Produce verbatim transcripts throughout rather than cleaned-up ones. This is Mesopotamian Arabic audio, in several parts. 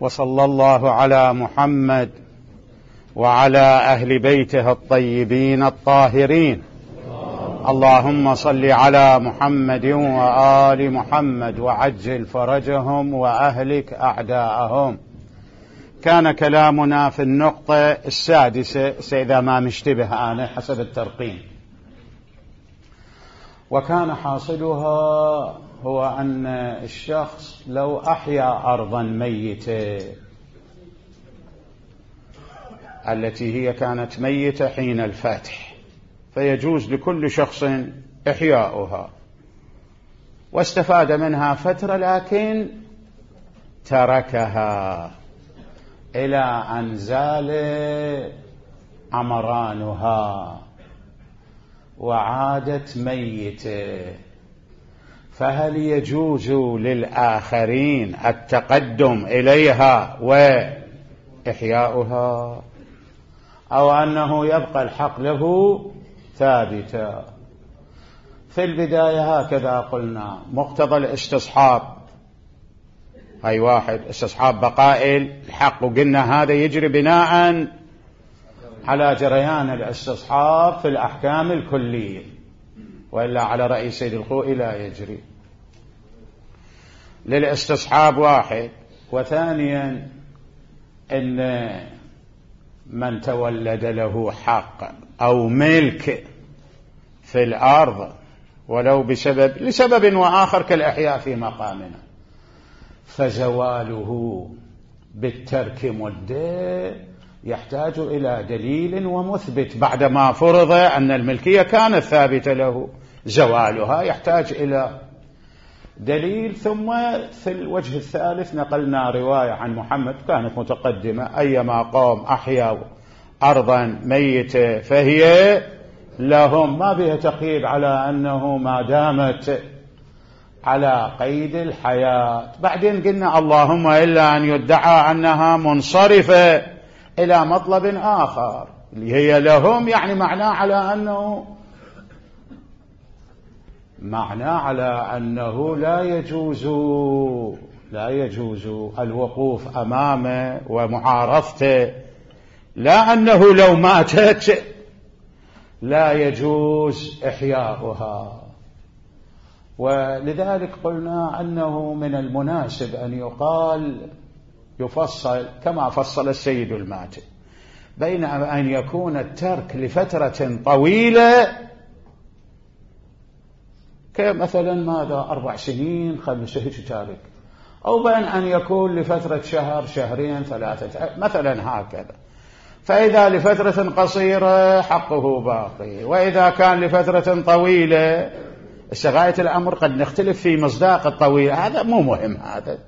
وصلى الله على محمد وعلى أهل بيته الطيبين الطاهرين. اللهم صل على محمد وآل محمد وعجل فرجهم وأهلك أعداءهم. كان كلامنا في النقطة السادسة إذا ما مشتبه أنا حسب الترقيم، وكان حاصلها هو أن الشخص لو أحيا أرضا ميتة التي هي كانت ميتة حين الفتح، فيجوز لكل شخص إحياؤها واستفاد منها فترة، لكن تركها إلى أن زال عمرانها وعادت ميتة، فهل يجوز للآخرين التقدم إليها وإحياؤها، أو أنه يبقى الحق له ثابتا؟ في البداية هكذا قلنا: مقتضى الاستصحاب، أي واحد استصحاب بقاء الحق، وقلنا هذا يجري بناء على جريان الاستصحاب في الأحكام الكلية، وإلا على رأي سيد الخوئي لا يجري. للاستصحاب واحد. وثانيا إن من تولد له حق أو ملك في الأرض ولو بسبب لسبب وآخر كالإحياء في مقامنا، فزواله بالترك مدة يحتاج إلى دليل ومثبت، بعدما فرض أن الملكية كانت ثابتة له، زوالها يحتاج إلى دليل. ثم في الوجه الثالث نقلنا رواية عن محمد كانت متقدمة: أيما قوم أحيوا أرضا ميتة فهي لهم، ما بها تقييد على أنه ما دامت على قيد الحياة. بعدين قلنا اللهم إلا أن يدعى أنها منصرفة إلى مطلب آخر اللي هي لهم، يعني معناه على أنه معناه على أنه لا يجوز لا يجوز الوقوف أمامه ومعارضته، لا أنه لو ماتت لا يجوز إحياؤها. ولذلك قلنا أنه من المناسب أن يقال يفصل كما فصل السيد الماتب بين أن يكون الترك لفترة طويلة كمثلا ماذا أربع سنين خمسة هيك تارك، أو بين أن يكون لفترة شهر شهرين ثلاثة مثلا هكذا. فإذا لفترة قصيرة حقه باقي، وإذا كان لفترة طويلة غاية الأمر قد نختلف في مصداق الطويل، هذا مو مهم هذا،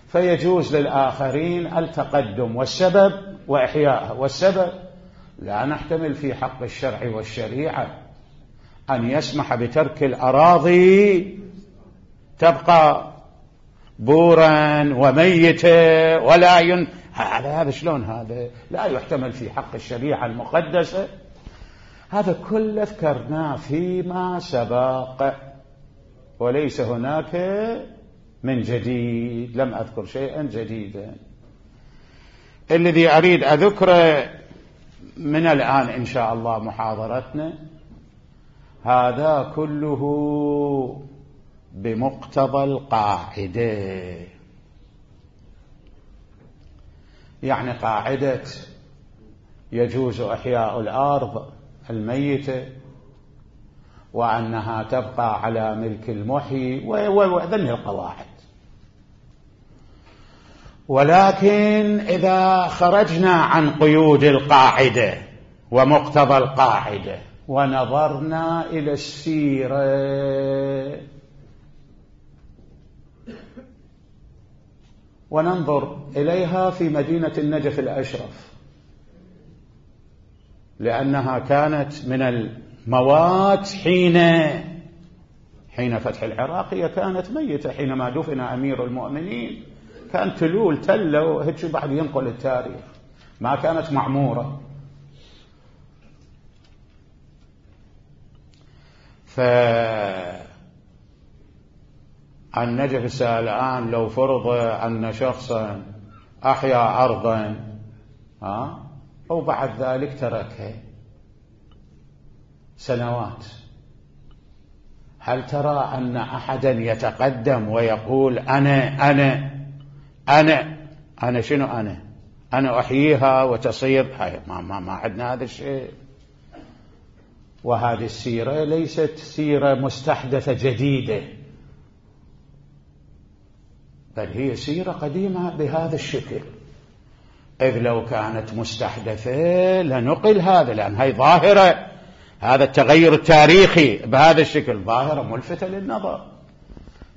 فيجوز للآخرين التقدم والسبب وإحياءها. والسبب لا نحتمل في حق الشرع والشريعة أن يسمح بترك الأراضي تبقى بورا وميتة ولا ين... هذا هذا شلون هذا لا يحتمل في حق الشريعة المقدسة. هذا كله ذكرناه فيما سبق، وليس هناك من جديد، لم أذكر شيئا جديدا. الذي أريد أذكره من الآن إن شاء الله محاضرتنا هذا كله بمقتضى القاعدة، يعني قاعدة يجوز إحياء الأرض الميتة وأنها تبقى على ملك المحيي وذنه القواعد. ولكن إذا خرجنا عن قيود القاعدة ومقتضى القاعدة ونظرنا إلى السيرة وننظر إليها في مدينة النجف الأشرف، لأنها كانت من الموات حين حين فتح العراق، هي كانت ميتة حينما دفن أمير المؤمنين، كان تلول تلة وهيك بعد ينقل التاريخ، ما كانت معمورة. فالنجف الآن لو فرض أن شخصا أحيا أرضا ها وبعد ذلك تركها سنوات، هل ترى أن أحدا يتقدم ويقول أنا أنا أنا أنا شنو أنا أنا أحييها وتصير؟ هاي ما, ما, ما عندنا هذا الشيء. وهذه السيرة ليست سيرة مستحدثة جديدة، بل هي سيرة قديمة بهذا الشكل، إذ لو كانت مستحدثة لنقل هذا، لأن هي ظاهرة، هذا التغير التاريخي بهذا الشكل ظاهرة ملفتة للنظر،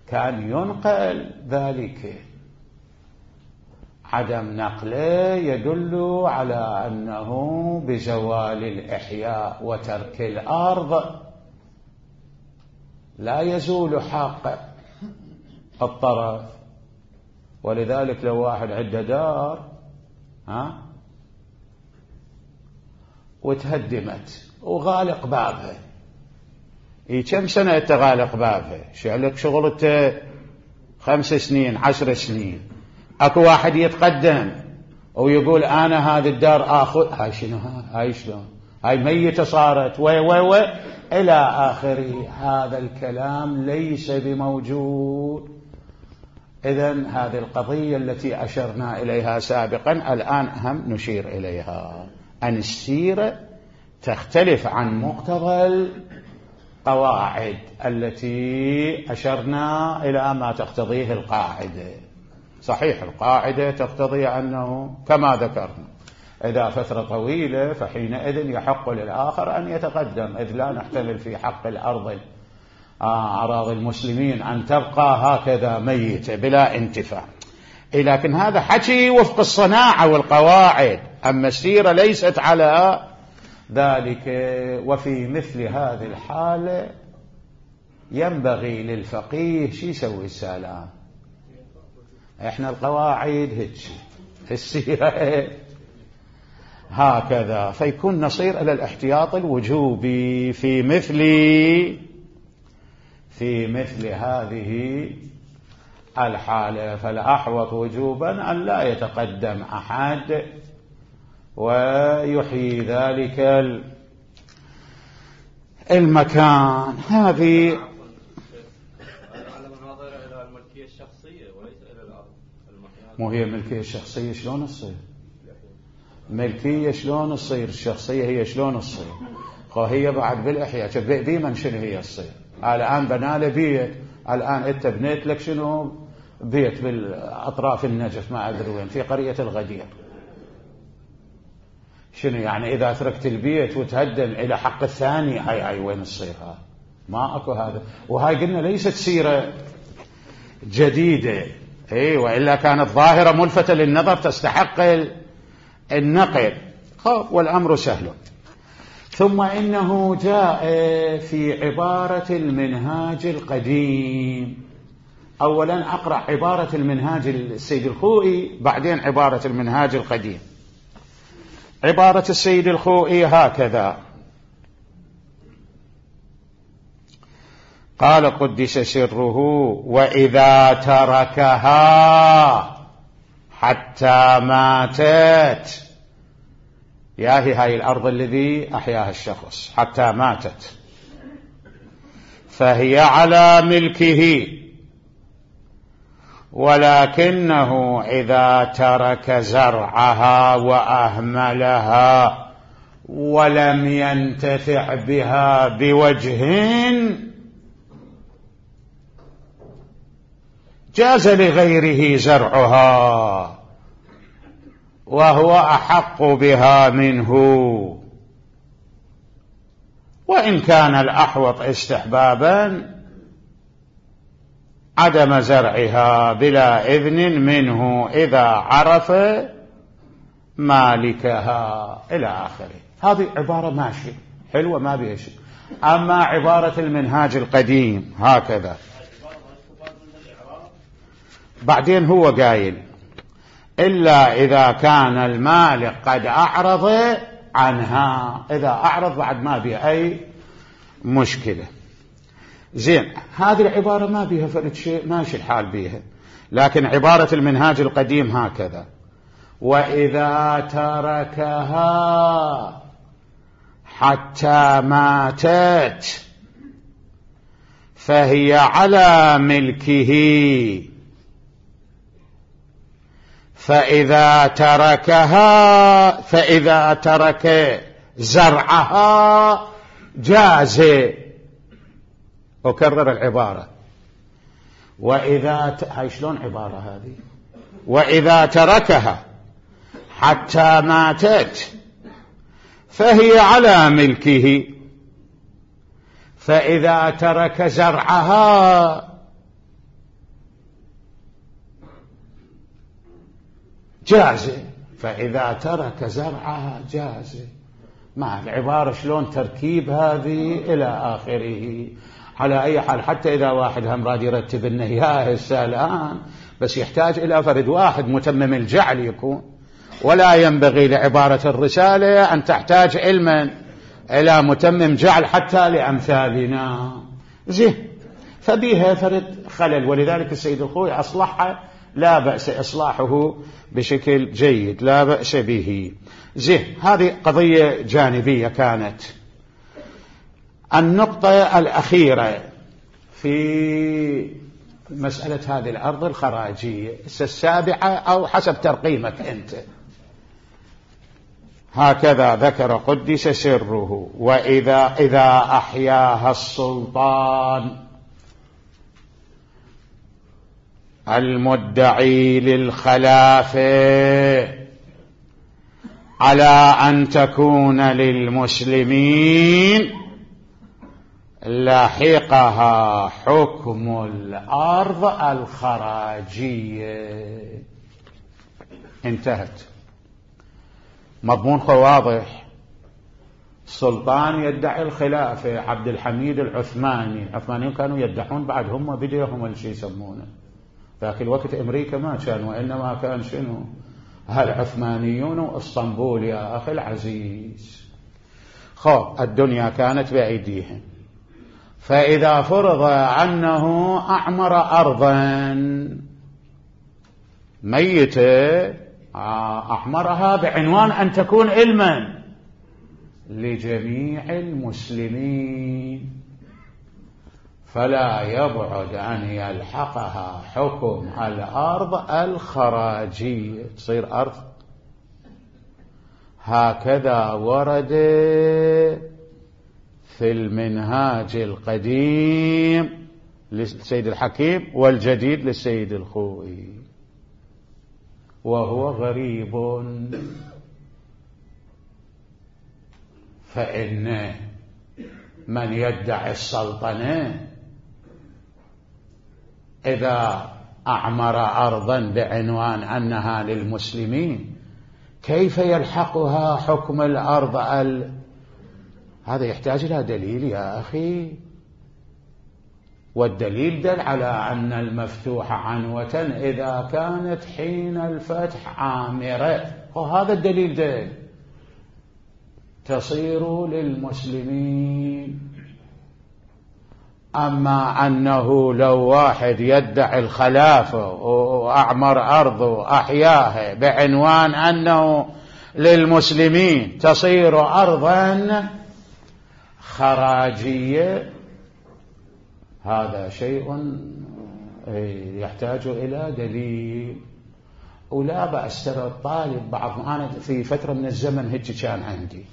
كان ينقل ذلك. عدم نقله يدل على أنه بزوال الإحياء وترك الأرض لا يزول حق الطرف. ولذلك لو واحد عنده دار ها وتهدمت وغالق بابها، اي كم سنة تغالق بابها؟ شعلك شغلته خمس سنين عشر سنين، اكو واحد يتقدم ويقول انا هذه الدار اخذ، هاي شنو هاي شلون هاي ميتة صارت وي وي وي الى اخره. هذا الكلام ليس بموجود. إذن هذه القضية التي أشرنا إليها سابقا الآن أهم نشير إليها، أن السيرة تختلف عن مقتضى القواعد التي أشرنا إلى ما تقتضيه القاعدة. صحيح القاعدة تقتضي أنه كما ذكرنا إذا فترة طويلة فحينئذ يحق للآخر أن يتقدم، إذ لا نحتمل في حق الأرض أراضي المسلمين أن تبقى هكذا ميتة بلا انتفاع. لكن هذا حكي وفق الصناعة والقواعد، أما السيرة ليست على ذلك. وفي مثل هذه الحالة ينبغي للفقيه شي يسوي السلام، احنا القواعد هيك، السيرة هكذا، فيكون نصير إلى الاحتياط الوجوبي في مثل في مثل هذه الحالة. فالأحوط وجوبا أن لا يتقدم أحد ويحيي ذلك المكان. هذه على مناظر إلى الملكية الشخصية وليس إلى الأرض. مو هي الملكية الشخصية شلون تصير؟ ملكية شلون تصير؟ الشخصية هي شلون تصير؟ هي بعد بالإحياء ديما شنو هي تصير؟ الآن بناله بيت، الآن أنت بنيت لك شنو بيت بالأطراف النجف ما أدري وين في قرية الغدير، شنو يعني إذا تركت البيت وتهدم إلى حق الثاني؟ هاي هاي وين تصير؟ ها ما أكو هذا. وهاي قلنا ليست سيرة جديدة، اي وإلا كانت ظاهرة ملفتة للنظر تستحق النقل. والأمر سهل. ثم إنه جاء في عبارة المنهاج القديم. أولا أقرأ عبارة المنهاج السيد الخوئي، بعدين عبارة المنهاج القديم. عبارة السيد الخوئي هكذا قال قدس سره: وإذا تركها حتى ماتت، ياهي هاي الأرض الذي أحياها الشخص حتى ماتت، فهي على ملكه، ولكنه إذا ترك زرعها وأهملها ولم ينتفع بها بوجه جاز لغيره زرعها وهو أحق بها منه، وإن كان الأحوط استحبابا عدم زرعها بلا إذن منه إذا عرف مالكها إلى آخره. هذه عبارة ماشي حلوة ما بيها شيء. أما عبارة المنهاج القديم هكذا بعدين هو قايل: إلا إذا كان المالك قد أعرض عنها. إذا أعرض بعد ما بيها أي مشكلة. زين، هذه العبارة ما بيها فرد شيء، ماشي الحال بيها. لكن عبارة المنهاج القديم هكذا: وإذا تركها حتى ماتت فهي على ملكه، فإذا تركها فإذا ترك زرعها جاز. أكرر العبارة، وإذا ت... هاي شلون عبارة هذه؟ وإذا تركها حتى ماتت فهي على ملكه، فإذا ترك زرعها جاز، فإذا ترك زرعها جاز. مع العبارة شلون تركيب هذه إلى آخره. على أي حال حتى إذا واحد هم راد يرتب إنه يا هسه الآن، بس يحتاج إلى فرد واحد متمم الجعل يكون، ولا ينبغي لعبارة الرسالة أن تحتاج علما إلى متمم جعل حتى لأمثالنا. زين، فبيها فرد خلل، ولذلك السيد الخوي أصلحها، لا بأس إصلاحه بشكل جيد، لا بأس به. زين، هذه قضية جانبية كانت. النقطة الأخيرة في مسألة هذه الأرض الخراجية السابعة أو حسب ترقيمك أنت، هكذا ذكر قدس سره: وإذا إذا أحياها السلطان المدعي للخلافة على أن تكون للمسلمين لحقها حكم الأرض الخراجية. انتهت. مضمون واضح. السلطان يدعي الخلافة، عبد الحميد العثماني، العثمانيين كانوا يدعون بعد هم بديهم الشيء يسمونه ذاك الوقت أمريكا ما كان، وإنما كان شنو؟ هالعثمانيون واسطنبول يا أخي العزيز. خب الدنيا كانت بأيديهم، فإذا فرض أنه أعمر أرضا ميتة أحمرها بعنوان أن تكون علما لجميع المسلمين، فلا يبعد أن يلحقها حكم الأرض الخراجية، تصير أرض. هكذا ورد في المنهاج القديم للسيد الحكيم والجديد للسيد الخوئي، وهو غريب. فإن من يدعي السلطنة إذا أعمر أرضا بعنوان أنها للمسلمين كيف يلحقها حكم الأرض ال... هذا يحتاج إلى دليل يا أخي، والدليل دل على أن المفتوح عنوة إذا كانت حين الفتح عامرة، وهذا الدليل دل تصير للمسلمين. أما أنه لو واحد يدعي الخلافة وأعمر أرضه أحياها بعنوان أنه للمسلمين تصير أرضا خراجية، هذا شيء يحتاج إلى دليل. ولا بأس ترى الطالب بعض، أنا في فترة من الزمن هيك كان عندي،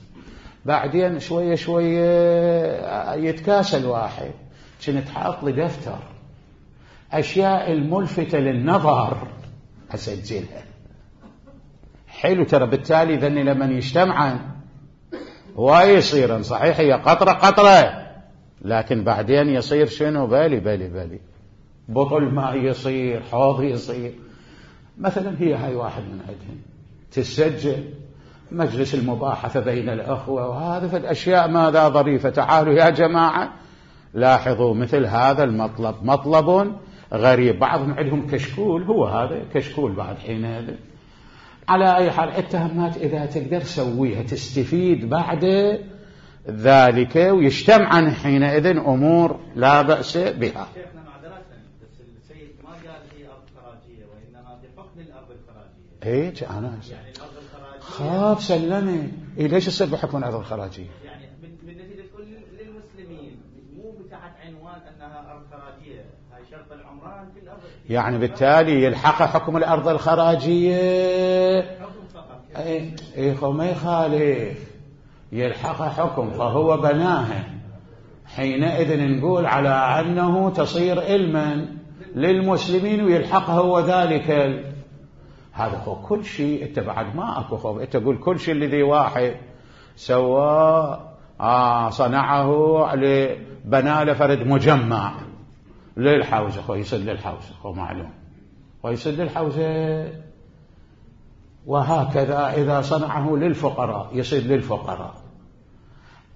بعدين شوية شوية يتكاسل واحد، كنت حاط لي دفتر أشياء الملفتة للنظر أسجلها. حلو ترى، بالتالي ذني لمن يجتمعن ويصيرن صحيح هي قطرة قطرة، لكن بعدين يصير شنو؟ بالي بالي بالي بطل ما يصير، حوض يصير. مثلا هي هاي واحد من عندهم تسجل مجلس المباحثة بين الأخوة، وهذا فالأشياء ماذا ظريفة. تعالوا يا جماعة لاحظوا مثل هذا المطلب مطلب غريب. بعضهم عندهم كشكول، هو هذا كشكول بعد حين هذا. على أي حال التهمات إذا تقدر سويها تستفيد بعد ذلك، ويجتمعن حينئذ أمور لا بأس بها. شيخنا معذرة، بس السيد ما قال هي أرض خراجية، وإنما بحكم الأرض الخراجية. الخراجية. ايش انا يعني الأرض الخراجية خاف سلمي إيه ليش يصير بحكم الأرض الخراجية؟ يعني بالنتيجة تقول للمسلمين مو تحت عنوان أنها أرض خراجية، هاي شرط العمران في الأرض، يعني بالتالي يلحق حكم الأرض الخراجية. حكم فقط. ايه ايه هو ما يخالف يلحق حكم فهو بناها، حينئذ نقول على أنه تصير علما للمسلمين ويلحقه هو ذلك ال... هذا هو كل شيء. انت بعد ما اكو خوف، انت تقول كل شيء الذي واحد سوى آه صنعه بنى له فرد مجمع للحوزة، هو يسد للحوزة، هو معلوم ويسد للحوزة. وهكذا إذا صنعه للفقراء يصير للفقراء.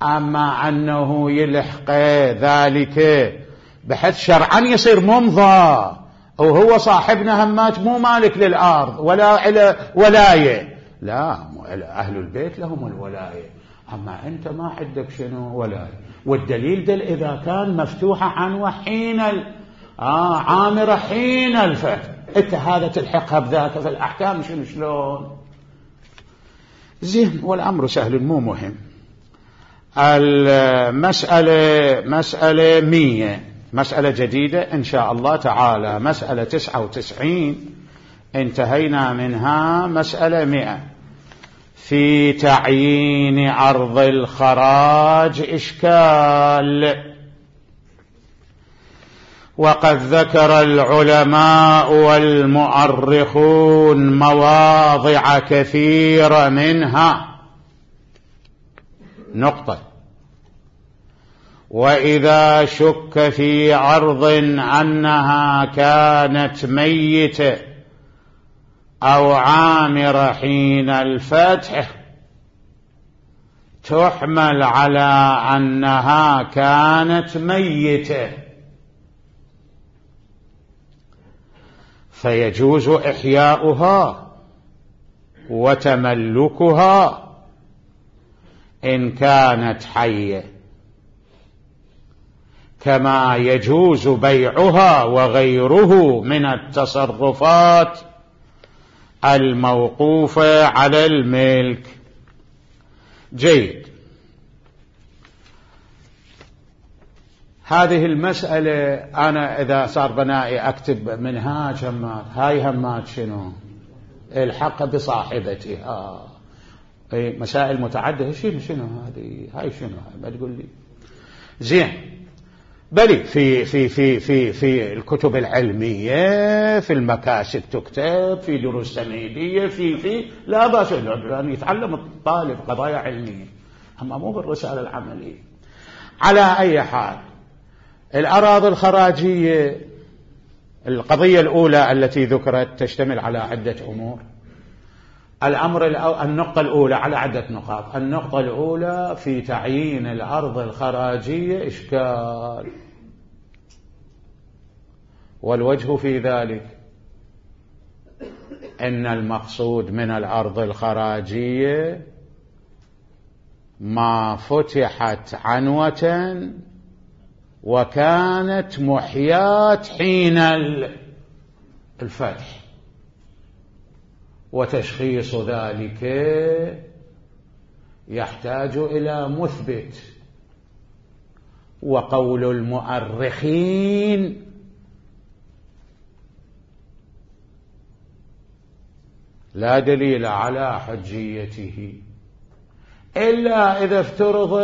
أما أنه يلحق ذلك بحيث شرعا يصير ممضى وهو صاحبنا همات مو مالك للأرض ولا إلى ولاية، لا أهل البيت لهم الولاية، أما أنت ما عندك شنو ولاية. والدليل دل إذا كان مفتوحة عنوة حين آه عامرة حين الفتح، أنت هذا تلحقها بذاك في الأحكام شنو شلون زين. والأمر سهل مو مهم. المسألة مسألة مية، مسألة جديدة إن شاء الله تعالى. مسألة تسعة وتسعين انتهينا منها. مسألة مئة في تعيين أرض الخراج إشكال. وقد ذكر العلماء والمؤرخون مواضع كثيرة منها. نقطة: وإذا شك في أرض أنها كانت ميتة أو عامرة حين الفتح تحمل على أنها كانت ميتة، فيجوز إحياؤها وتملكها إن كانت حية، كما يجوز بيعها وغيره من التصرفات الموقوفة على الملك. جيد. هذه المسألة أنا إذا صار بنائي أكتب منهاج همات، هاي همات شنو الحق بصاحبتها. أي مسائل متعددة. شنو شنو هذه هاي شنو هاي ما تقول لي زين. بل في في في في في الكتب العلمية في المكاسب تكتب، في دروس تمهيدية، في في لا بأس أن يتعلم الطالب قضايا علمية، أما مو بالرسالة العملية. على أي حال الأراضي الخراجية القضية الأولى التي ذكرت تشتمل على عدة أمور. الأمر النقطة الأولى على عدة نقاط. النقطة الأولى في تعيين الأرض الخراجية إشكال، والوجه في ذلك أن المقصود من الأرض الخراجية ما فتحت عنوة وكانت محيات حين الفتح، وتشخيص ذلك يحتاج إلى مثبت. وقول المؤرخين لا دليل على حجيته إلا إذا افترض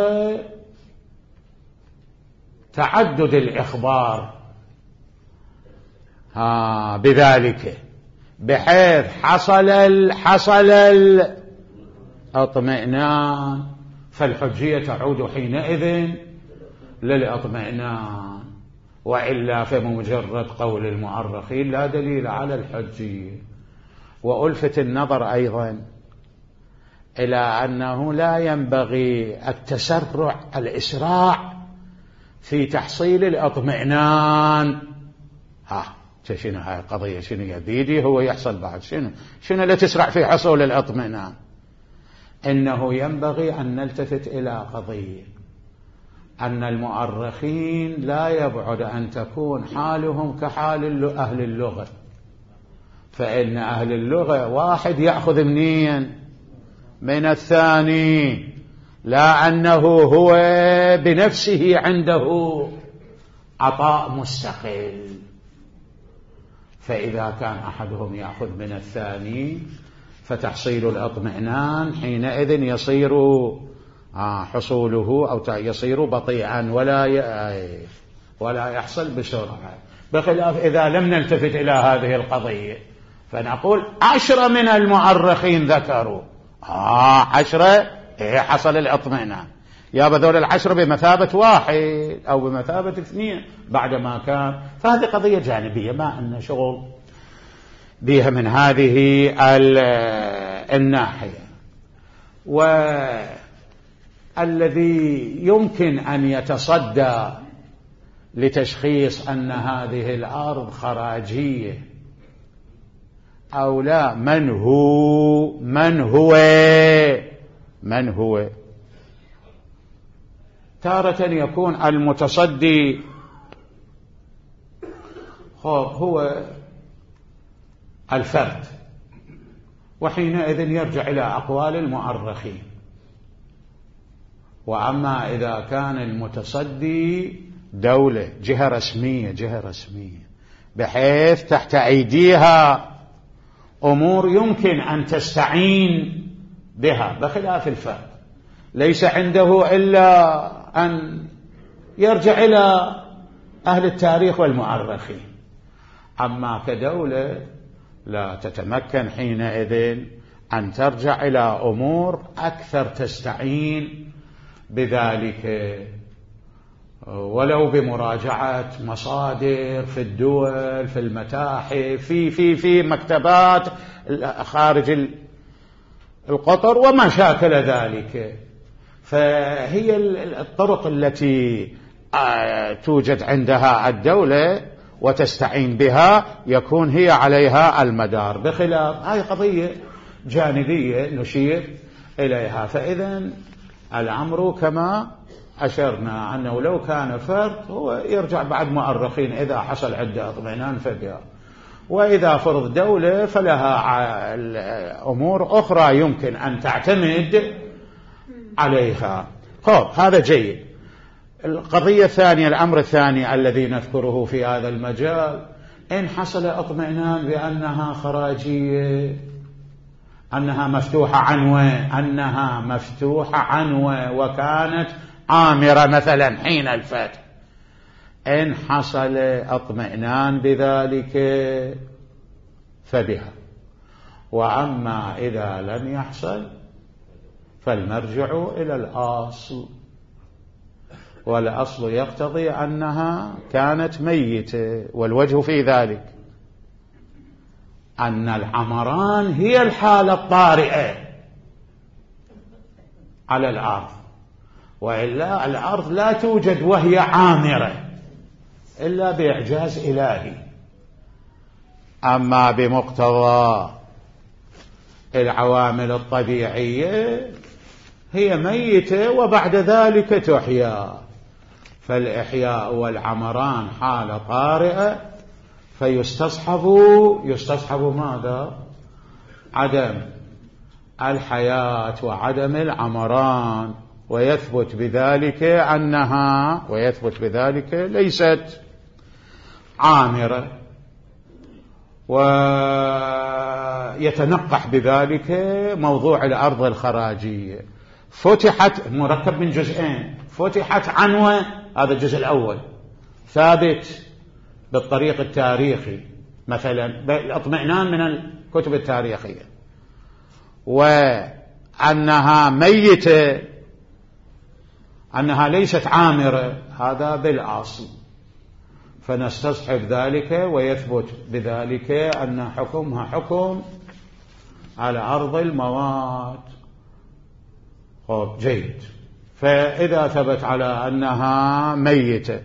تعدد الإخبار ها بذلك، بحيث حصل ال حصل الاطمئنان، فالحجية تعود حينئذ للاطمئنان، وإلا فمجرد قول المؤرخين لا دليل على الحجية. وألفت النظر أيضا إلى أنه لا ينبغي التسرع الإسراع في تحصيل الاطمئنان. ها شنو هاي القضية شنو يبيدي هو يحصل بعد شنو شنو اللي تسرع في حصول الاطمئنان. إنه ينبغي أن نلتفت إلى قضية أن المؤرخين لا يبعد أن تكون حالهم كحال أهل اللغة، فإن أهل اللغة واحد يأخذ منين؟ من الثاني، لا أنه هو بنفسه عنده عطاء مستقل. فإذا كان أحدهم يأخذ من الثاني فتحصيل الاطمئنان حينئذ يصير حصوله أو يصير بطيئا ولا ولا يحصل بسرعة، بخلاف إذا لم نلتفت إلى هذه القضية فنقول عشرة من المؤرخين ذكروا آه عشرة إيه حصل الاطمئنان، يا بذول العشرة بمثابة واحد أو بمثابة اثنين بعدما كان. فهذه قضية جانبية ما أن شغل بها من هذه الناحية. والذي يمكن أن يتصدى لتشخيص أن هذه الأرض خراجية أو لا من هو من هو من هو تارة يكون المتصدي هو الفرد، وحينئذ يرجع إلى أقوال المؤرخين. وأما إذا كان المتصدي دولة جهة رسمية جهة رسمية بحيث تحت أيديها أمور يمكن أن تستعين بها بخلاف الفرد، ليس عنده إلا أن يرجع إلى أهل التاريخ والمؤرخين. أما كدولة لا تتمكن حينئذ أن ترجع إلى أمور أكثر تستعين بذلك، ولو بمراجعة مصادر في الدول في المتاحف في في في مكتبات خارج القطر وما شاكل ذلك. فهي الطرق التي توجد عندها الدولة وتستعين بها يكون هي عليها المدار، بخلاف هذه قضية جانبية نشير إليها. فإذا الأمر كما أشرنا أنه لو كان فرد هو يرجع بعد مؤرخين إذا حصل عنده اطمئنان فبها، وإذا فرض دولة فلها أمور أخرى يمكن أن تعتمد عليها. خب هذا جيد. القضية الثانية الأمر الثاني الذي نذكره في هذا المجال، إن حصل اطمئنان بأنها خراجية أنها مفتوحة عنوة أنها مفتوحة عنوة وكانت عامرة مثلا حين الفتح، إن حصل اطمئنان بذلك فبها. وأما إذا لم يحصل فالمرجع إلى الأصل، والأصل يقتضي أنها كانت ميتة. والوجه في ذلك أن العمران هي الحالة الطارئة على الأرض، وإلا الأرض لا توجد وهي عامرة إلا بإعجاز إلهي. أما بمقتضى العوامل الطبيعية هي ميتة وبعد ذلك تحيا. فالإحياء والعمران حالة طارئة، فيستصحب يستصحب ماذا؟ عدم الحياة وعدم العمران، ويثبت بذلك أنها ويثبت بذلك ليست عامرة، ويتنقح بذلك موضوع الأرض الخراجية. فتحت مركب من جزئين، فتحت عنوة هذا الجزء الأول ثابت بالطريق التاريخي مثلا بالاطمئنان من الكتب التاريخية، وأنها ميتة أنها ليست عامرة هذا بالأصل، فنستصحب ذلك ويثبت بذلك أن حكمها حكم على أرض الموات. خب جيد. فإذا ثبت على أنها ميتة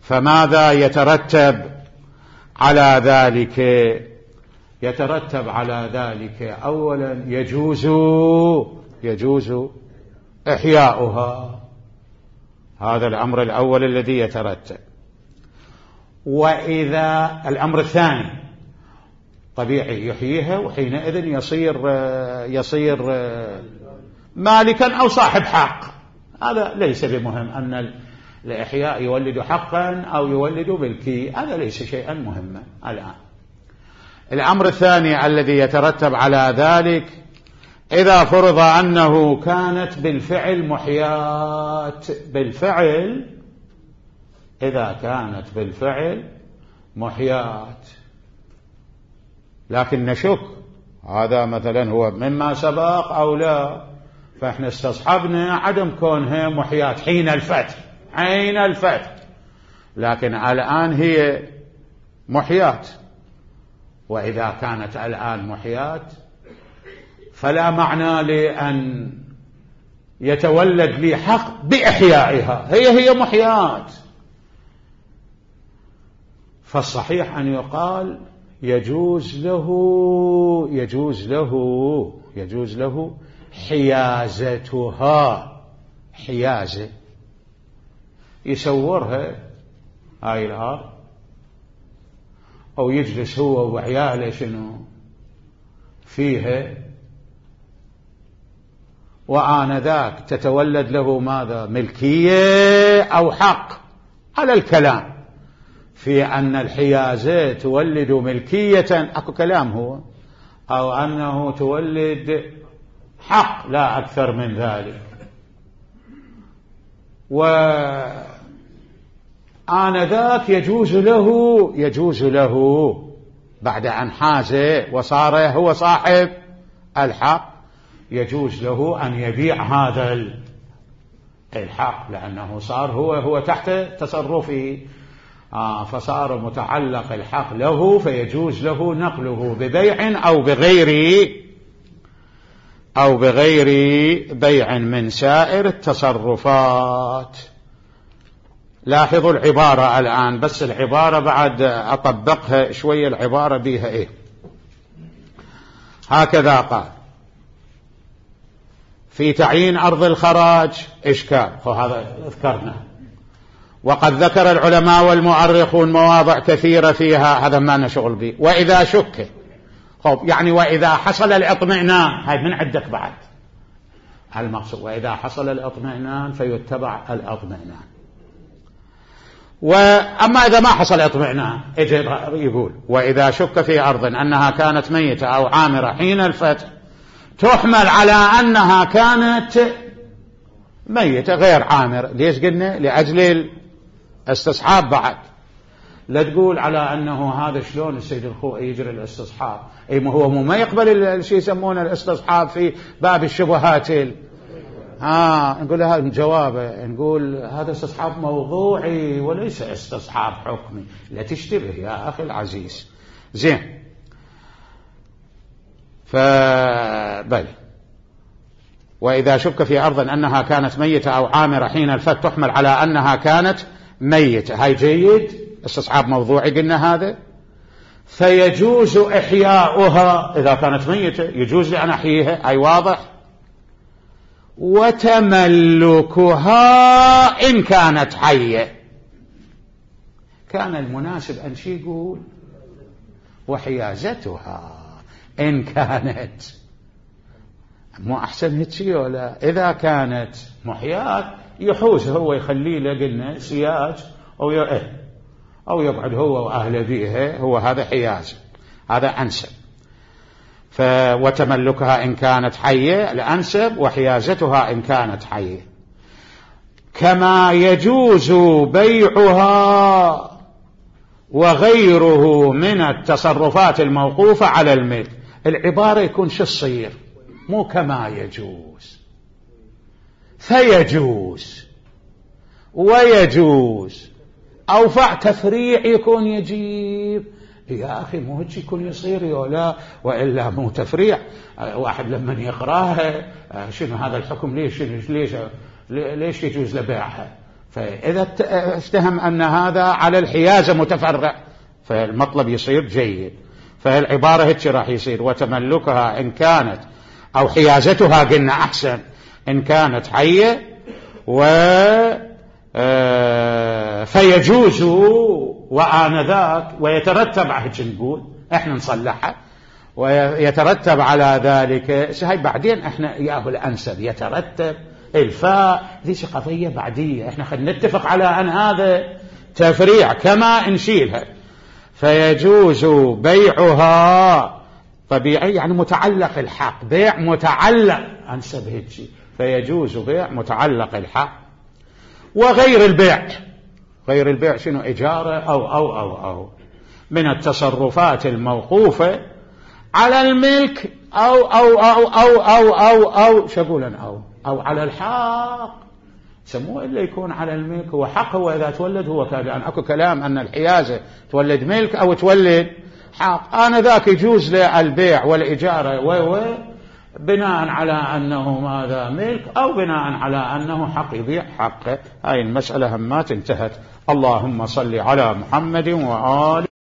فماذا يترتب على ذلك؟ يترتب على ذلك أولا يجوز يجوز إحياؤها، هذا الأمر الأول الذي يترتب. وإذا الأمر الثاني طبيعي يحييها، وحينئذ يصير يصير مالكا أو صاحب حق. هذا ليس بمهم أن الإحياء يولد حقا أو يولد ملكي، هذا ليس شيئا مهما. الآن الأمر الثاني الذي يترتب على ذلك، إذا فرض أنه كانت بالفعل محيات، بالفعل إذا كانت بالفعل محيات، لكن نشك هذا مثلا هو مما سبق أو لا، فإحنا استصحبنا عدم كونها محيات حين الفتح، حين الفتح، لكن الآن هي محيات. وإذا كانت الآن محيات فلا معنى لأن يتولد لي حق بإحيائها، هي هي محيات. فالصحيح أن يقال يجوز له يجوز له يجوز له حيازتها، حيازة يسورها هاي الأرض، أو يجلس هو وعياله شنو فيها، وآنذاك تتولد له ماذا؟ ملكية أو حق، على الكلام في أن الحيازة تولد ملكية، أكو كلام هو، أو أنه تولد حق، لا أكثر من ذلك. وآنذاك يجوز له يجوز له بعد أن حاز وصار هو صاحب الحق، يجوز له أن يبيع هذا الحق، لأنه صار هو هو تحت تصرفه، آه فصار متعلق الحق له، فيجوز له نقله ببيع أو بغير أو بغير بيع من سائر التصرفات. لاحظوا العبارة الآن، بس العبارة بعد أطبقها شوية، العبارة بيها إيه؟ هكذا قال في تعيين أرض الخراج إشكال، وهذا ذكرنا، وقد ذكر العلماء والمؤرخون مواضع كثيرة فيها، هذا ما نشغل به. وإذا شك، خب يعني وإذا حصل الاطمئنان، هاي من عندك بعد المقصود، وإذا حصل الاطمئنان فيتبع الاطمئنان. وأما إذا ما حصل اطمئنان، يقول وإذا شك في أرض أنها كانت ميتة أو عامرة حين الفتح، تحمل على أنها كانت ميتة غير عامرة. ليش قلنا؟ لأجل الاستصحاب بعد، لا تقول على أنه هذا شلون السيد الخوئي يجري الاستصحاب، أي ما هو ما يقبل الشيء يسمونه الاستصحاب في باب الشبهات. آه نقول هذا جوابه، نقول هذا استصحاب موضوعي وليس استصحاب حكمي، لا تشتبه يا أخي العزيز. زين، فبل وإذا شك في أرض أنها كانت ميتة أو عامرة حين الفتح، تحمل على أنها كانت ميتة، هاي جيد، استصحاب موضوعي قلنا هذا. فيجوز إحياؤها إذا كانت ميتة، يجوز لي أن أحييها، أي واضح. وتملكها إن كانت حية، كان المناسب أن شي يقول وحيازتها إن كانت، مو أحسن هيك ولا؟ إذا كانت محيات يحوز هو، يخلي له قلنا سياج أو إيه أو يقعد هو وأهل بيها، هو هذا حياز، هذا أنسب. وتملكها إن كانت حية الأنسب، وحيازتها إن كانت حية. كما يجوز بيعها وغيره من التصرفات الموقوفة على الملك. العبارة يكون شو الصير؟ مو كما يجوز، فيجوز ويجوز، أوفع تفريع يكون يجيب. يا أخي مو هيك يكون يصير ولا، وإلا مو تفريع. واحد لما يقراها شنو هذا الحكم، ليش ليش ليش يجوز لبيعها؟ فإذا افتهم أن هذا على الحيازة متفرع، فالمطلب يصير جيد. فالعبارة هيك راح يصير وتملكها إن كانت، أو حيازتها قلنا أحسن، إن كانت حية، و فيجوز وآنذاك، ويترتب هيك نقول احنا نصلحها، ويترتب على ذلك. هاي بعدين احنا ياهو الأنسب يترتب الفاء، ذيش قضية بعدية، احنا خلينا نتفق على أن هذا تفريع كما نشيلها. فيجوز بيعها طبيعي يعني متعلق الحق، بيع متعلق أنسب هيك، فيجوز بيع متعلق الحق. وغير البيع، غير البيع شنو؟ إجارة أو أو أو أو من التصرفات الموقوفة على الملك أو أو أو أو أو أو أو شقولا أو أو على الحق، سموه إلا يكون على الملك هو حق. هو إذا تولد هو كان يعني أكو كلام أن الحيازة تولد ملك أو تولد حق، أنا ذاك يجوز له البيع والإجارة و بناء على أنه ماذا ملك أو بناء على أنه حق يبيع حقه. هاي المسألة همات انتهت. اللهم صل على محمد وآل